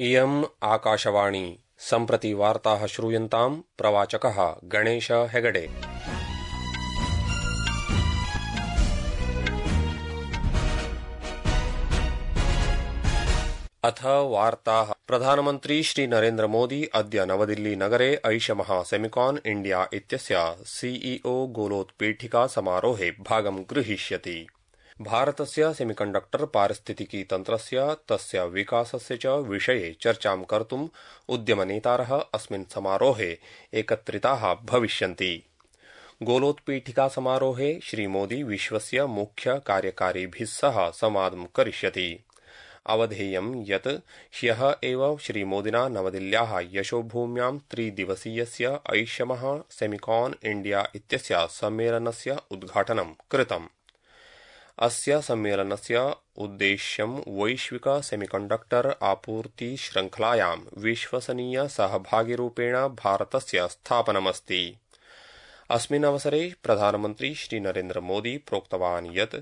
इयम् आकाशवाणी सम्प्रति वार्ताः श्रूयन्ताम् प्रवाचकः गणेश हेगडे। अथ वार्ताः। प्रधानमन्त्री श्री नरेन्द्र मोदी अद्य नवदिल्ली नगरे ऐषमः सेमिकॉन इंडिया इत्यस्य सीईओ गोलोत्पीठिका समारोहे भागं गृहीष्यति। भारतस्य सेमिकण्डक्टर पारिस्थितिकी तन्त्रस्य तस्य विकासस्य च विषये चर्चां कर्तुम् उद्यमनेतारः अस्मिन् समारोहे एकत्रिताः भविष्यन्ति। गोलोत्पीठिका समारोहे श्रीमोदी विश्वस्य मुख्य कार्यकारिभिः सह संवादं करिष्यति। अवधेयं यत् ह्यः एव श्रीमोदिना नवदिल्ल्याः यशोभूम्यां त्रिदिवसीयस्य ऐषमः सेमिकॉन इंडिया इत्यस्य सम्मेलनस्य उद्घाटनं कृतम्। अस्य सम्मेलनस्य उद्देश्यं वैश्विक सेमिकण्डक्टर आपूर्ति श्रृङ्खलायां विश्वसनीय सहभागिरूपेण भारतस्य स्थापनमस्ति। अस्मिन् अवसरे प्रधानमन्त्री श्री नरेन्द्र मोदी प्रोक्तवान् यत्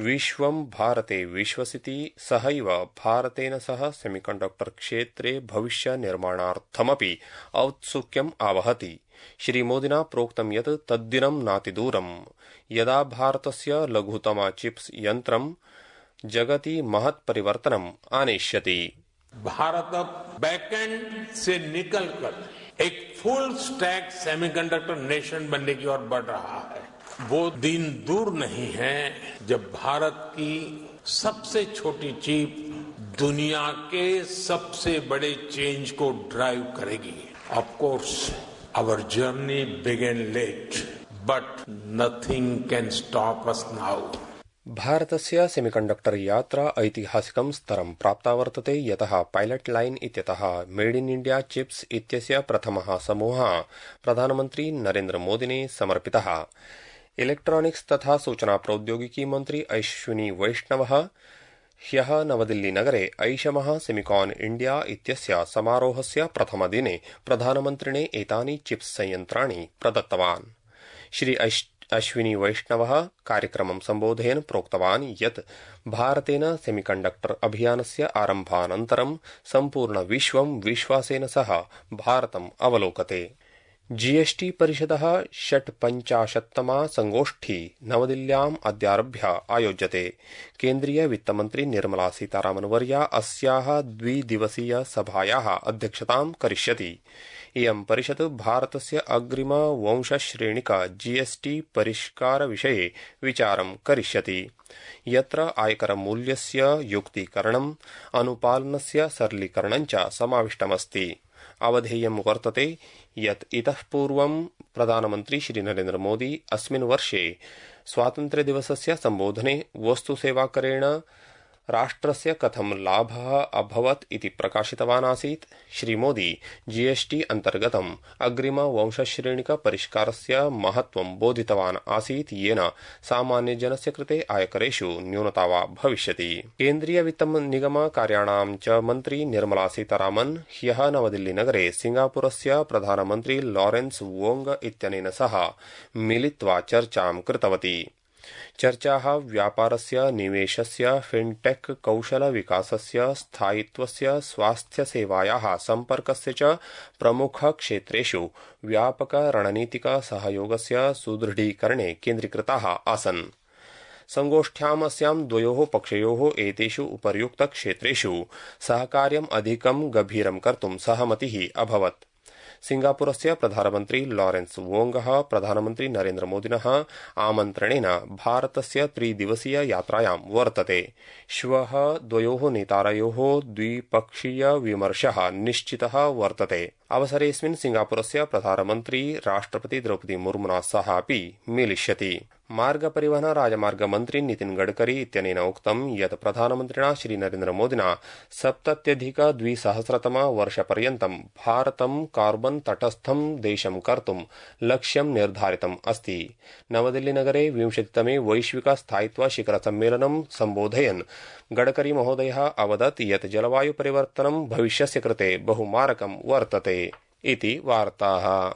विश्वं भारते विश्वसिति सहैव भारतेन सह सेमिकण्डक्टर क्षेत्रे भविष्य निर्माणार्थमपि औत्सुक्यम् आवहति। श्रीमोदिना प्रोक्तं यत् तद्दिनं नातिदूरम् यदा भारतस्य लघुतम चिप्स यन्त्रं जगति महत् परिवर्तनम् आनेष्यति। भारत बैकएंड से निकलकर एक फुल स्टैक सेमीकंडक्टर नेशन बनने की ओर बढ़ रहा है। वो दिन दूर नहीं है जब भारत की सबसे छोटी चिप दुनिया के सबसे बड़े चेंज को ड्राइव करेगी। Of course our journey began late, but nothing can stop us now. भारतस्य सेमिकण्डक्टर यात्रा ऐतिहासिकं स्तरं प्राप्ता वर्तते, यतः पायलट लाइन इत्यतः मेड इन इंडिया चिप्स इत्यस्य प्रथमः समूहः प्रधानमन्त्री नरेन्द्र मोदिने समर्पितः। इलेक्ट्रॉनिक्स तथा सूचना प्रौद्योगिकी मन्त्री अश्विनी वैष्णवः ह्यः नवदिल्ली नगरे ऐषमः सेमिकॉन इंडिया इत्यस्य समारोहस्य प्रथमदिने प्रधानमन्त्रिणे एतानि चिप्स संयन्त्राणि प्रदत्तवान्। श्री अश्विनी वैष्णवः कार्यक्रमं सम्बोधयन् प्रोक्तवान् यत् भारतेन सेमिकण्डक्टर अभियानस्य आरम्भानन्तरं सम्पूर्ण विश्वं विश्वासेन सह भारतम् अवलोकते। जीएसटी परिषदः 56तमा संगोष्ठी नवदिल्ल्याम् अद्यारभ्य आयोज्यते। केन्द्रीय वित्तमन्त्री निर्मला सीतारामन्वर्या अस्याः द्विदिवसीय सभायाः अध्यक्षतां करिष्यति। इयं परिषद् भारतस्य अग्रिम वंशश्रेणिक जीएसटी परिष्कार विषये विचारं करिष्यति, यत्र आयकरमूल्यस्य युक्तीकरणम् अनुपालनस्य सरलीकरणं च समाविष्टमस्ति। अवधेयं वर्तते यत् इतः पूर्वं प्रधानमन्त्री श्री नरेन्द्र मोदी अस्मिन् वर्षे स्वातन्त्र्यदिवसस्य सम्बोधने वस्तुसेवाकरेण राष्ट्रस्य कथं लाभः अभवत् इति प्रकाशितवान् आसीत्। श्रीमोदी जीएसटी अन्तर्गतम् अग्रिम वंशश्रेणिक परिष्कारस्य महत्त्वं बोधितवान् आसीत्, येन सामान्यजनस्य कृते आयकरेषु न्यूनता वा भविष्यति। केन्द्रीय वित्तनिगम कार्याणां च मन्त्री निर्मला सीतारामन् ह्यः नवदिल्ली नगरे सिंगापुरस्य प्रधानमन्त्री लॉरेन्स वोंग इत्यनेन सह मिलित्वा चर्चां कृतवती। चर्चाः व्यापारस्य, निवेशस्य, फिनटेक, कौशल विकासस्य, स्थायित्वस्य, स्वास्थ्यसेवायाः सम्पर्कस्य च प्रमुख क्षेत्रेषु व्यापक रणनीतिक सहयोगस्य सुदृढीकरणे केन्द्रीकृताः आसन्। संगोष्ठ्याम् अस्यां द्वयोः पक्षयोः एतेषु उपर्युक्त क्षेत्रेषु सहकार्यम् अधिकं गभीरं कर्तुं सहमतिः अभवत्। सिंगापुरस्य प्रधानमन्त्री लॉरेन्स वोंगः प्रधानमन्त्री नरेन्द्र मोदिनः आमन्त्रणेन भारतस्य त्रिदिवसीय यात्रायां वर्तते। श्वः द्वयोः नेतारयोः द्विपक्षीय विमर्शः निश्चितः वर्तते। अवसरेऽस्मिन् सिंगापुरस्य प्रधानमन्त्री राष्ट्रपति द्रौपदी मुर्मुना सह अपि मेलिष्यति। मार्ग परिवहन राजमार्ग मन्त्री नितिन गडकरी इत्यनेन उक्तं यत् प्रधानमन्त्रिणा श्री नरेन्द्र मोदिना 70-2000 वर्षपर्यन्तं भारतं कार्बन तटस्थं देशं कर्तुं लक्ष्यं निर्धारितम् अस्ति। नवदिल्ली नगरे 20तमे वैश्विक स्थायित्व शिखर सम्मेलनं सम्बोधयन् गडकरी महोदयः अवदत् यत् जलवायु परिवर्तनं भविष्यस्य कृते बहुमारकं वर्तते इति वार्ताः।